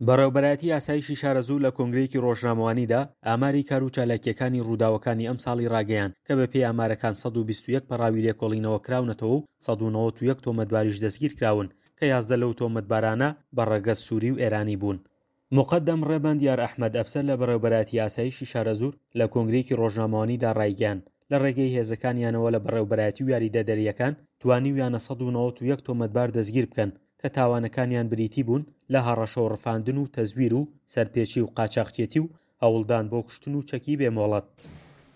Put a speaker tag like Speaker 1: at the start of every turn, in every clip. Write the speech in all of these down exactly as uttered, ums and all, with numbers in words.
Speaker 1: بەڕێوەبەرایەتی ئاسایشی شارەزوور لە کۆنگرەیەکی ڕۆژنامەوانیدا ئاماری کار و چالاکییەکانی ڕووداوەکانی ئەمساڵی ڕاگەیاند کە بەپێی ئامارەکان سەد و بیست و یەک پەڕاوی لێکۆڵینەوە کراونەتەوە و سەد و نەوەد و یەک تۆمەتباریش دەستگیرکراون کە یازدە لەو تۆمەتبارانە بە ڕەگەز سووری و ئێرانی بوون. موقەدەم ڕێبەند یار ئەحمەد ئەفسەر لە بەڕێوەبەرایەتی ئاسایشی شارەزوور لە کۆنگرەیەکی ڕۆژنامەوانیدا ڕایگەیاند لە ڕێگەی هێزەکانیانەوە لە بەڕێوەبەرایەتی و یاریدەدەرییەکان توانیویانە سەد و نەوەد و یەک تۆمەتبار دەستگیر بکەن کە تاوانەکانیان بریتی بوون لە هەڕەشە و ڕفاندن و تەزویر و سەرپێچی و قاچاخچێتی و هەوڵدان بۆ کوشتن و چەکی بێ مۆڵەت.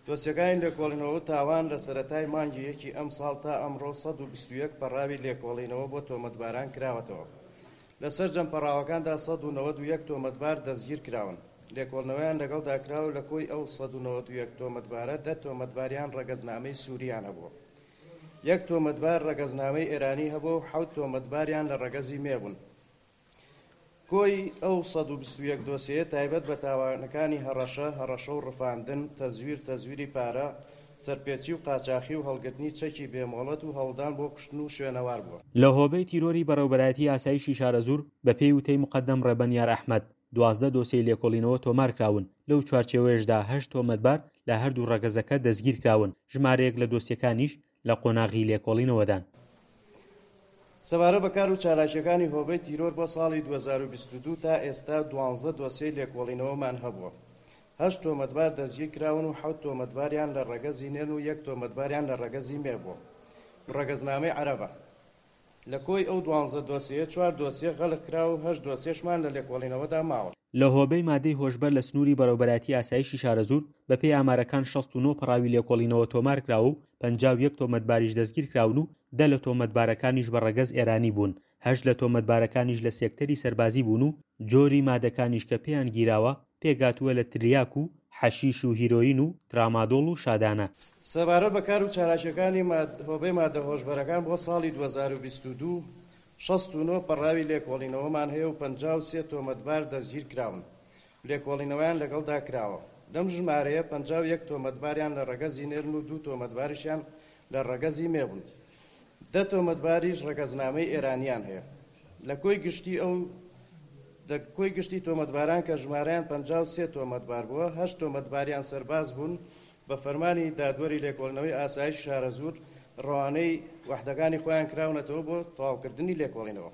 Speaker 2: دۆسیەکانی لێکۆڵینەوە و تاوان لە سەرەتای مانگی یەکی ئەمساڵ تا ئەمڕۆ سەد و بیست و یەک پەڕاوی لێکۆڵینەوە بۆ تۆمەتباران کراوەتەوە. لە سەرجەم پەڕاوەکاندا سەد و نەوەد و یەک تۆمەتبار دەستگیر کراون. لێکۆڵینەوەیان لەگەڵدا کراوە لە کۆی ئەو سەد و نەوەد و یەک تۆمەتبارە دە تۆمەتباریان ڕەگەزنامەی سووریان هەبووە. یەک تۆمەتبار ڕەگەزنامەی ئێرانی هەبووە و حەوت تۆمەتباریان لە ڕەگەزی مێ بوون. کۆی ئەو سەد و بیست و یەک دۆسیەیە تایبەت بە تاوانەکانی هەڕەشە، هەڕەشە و ڕفاندن، تەزویر، تەزویری پارە، سەرپێچی و قاچاخی و هەڵگرتنی چەکی بێمۆڵەت و هەوڵدان بۆ کوشتن و شوێنەوار بووە.
Speaker 1: لە هۆبەی تیرۆری بەڕێوەبەرایەتی ئاسایشی شارەزوور بەپێی وتەی موقەدەم ڕێبەن یار ئەحمەد، دوازدە دۆسیەی لێکۆڵینەوە تۆمارکراون، لەو چوارچێوەیەشدا هەشت تۆمەتبار لە هەردوو ڕەگەزەکە دەستگیرکراون، ژمارەیەک لە دۆسیەکانیش لە قۆناغی لێکۆڵینەوەدان.
Speaker 2: سەبارەت بە کار و چالاکییەکانی هۆبەی تیرۆر بۆ ساڵی دوو هەزار و بیست و دوو تا ئێستا دوانزە دۆسیەی لێکۆڵینەوەمان هەبووە. هەشت تۆمەتبار دەستگیر کراون و حەوت تۆمەتباریان لە ڕەگەزی نێن و یەک تۆمەتباریان لە ڕەگەزی مێ بووە و ڕەگەزنامەی عەرەبە. لە کۆی ئەو دوانزە دۆسیەیە چوار دۆسیە غەلق کراوە و هەشت دۆسیەشمان لە لێکۆڵینەوەدا ماوە.
Speaker 1: لە هۆبەی مادەی هۆشبەر لە سنووری بەڕێوەبەرایەتی ئاسایشی شارەزوور بەپێی ئامارەکان شەست و نۆ پەڕاوی لێکۆڵینەوە تۆمارکراوە و پەنجا و یەک تۆمەتباریش دەستگیرکراون و دە لە تۆمەتبارەکانیش بە ڕەگەز ئێرانی بوون، هەشت لە تۆمەتبارەکانیش لە سێکتەری سەربازی بوون و جۆری مادەکانیش کە پێیان گیراوە پێکهاتووە لە تریاک و حەشیش و هیرۆین و ترامادۆڵ و شادانە.
Speaker 2: سەبارەت بە کار و چالاکییەکانی هۆبەی مادە هۆشبەرەکان بۆ ساڵی دوو هەزار و بیست و دوو، شەست و نۆ پەڕاوی لێکۆڵینەوەمان هەیە و پەنجا و سێ تۆمەتبار دەستگیرکراون و لێکۆڵینەوەیان لەگەڵدا کراوە. لەم ژمارەیە پەنجا و یەک تۆمەتباریان لە ڕەگەزی نێرن و دوو تۆمەتباریشیان لە ڕەگەزی مێ بوون. دە تۆمەتباریش ڕەگەزنامەی ئێرانیان هەیە. لە کۆی گشتی ئەو لە کۆی گشتی تۆمەتباران کە ژمارەیان پەنجا و سێ تۆمەتبار بووە، هەشت تۆمەتباریان سەرباز بوون، بە فەرمانی دادوەری لێکۆڵینەوەی ئاسایش شارەزوور ڕەوانەی وەحدەکانی خۆیان کراونەتەوە بۆ تەواوکردنی لێکۆڵینەوە.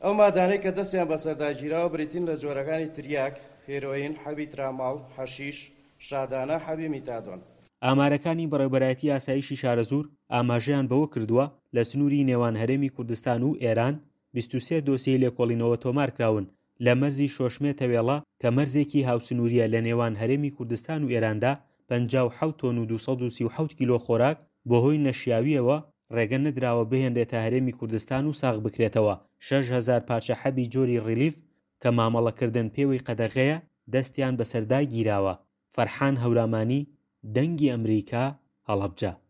Speaker 2: ئەو مادانەی کە دەستیان بەسەردا گیراوە بریتین لە جۆرەکانی تریاک، هێرۆین، حەبی تراماڵ، حەشیش، شادانە، حەبی میتادۆن.
Speaker 1: ئامارەکانی بەڕێوەبەرایەتی ئاسایشی شارەزوور ئاماژەیان بەوە کردووە، لە سنووری نێوان هەرێمی کوردستان و ئێران بیست و سێ دۆسیەی لێکۆڵینەوە تۆمارکراون لە مەرزی شۆشمێ تەوێڵە کە مەرزێکی هاوسنووریە لە نێوان هەرێمی کوردستان و ئێراندا پەنجا و حەوت تۆن و دوو سەد و سی و حەوت کیلۆ خۆراک بەهۆی نەشیاوییەوە ڕێگە نەدراوە بهێنرێتە هەرێمی کوردستان و ساغ بکرێتەوە شەش هەزار پارچە حەبی جۆری ڕیلیف کە مامەڵەکردن پێوەی قەدەغەیە دەستیان بەسەردا گیراوە. فەرحان هەورامانی، دەنگی ئەمریکا، هەڵەبجە.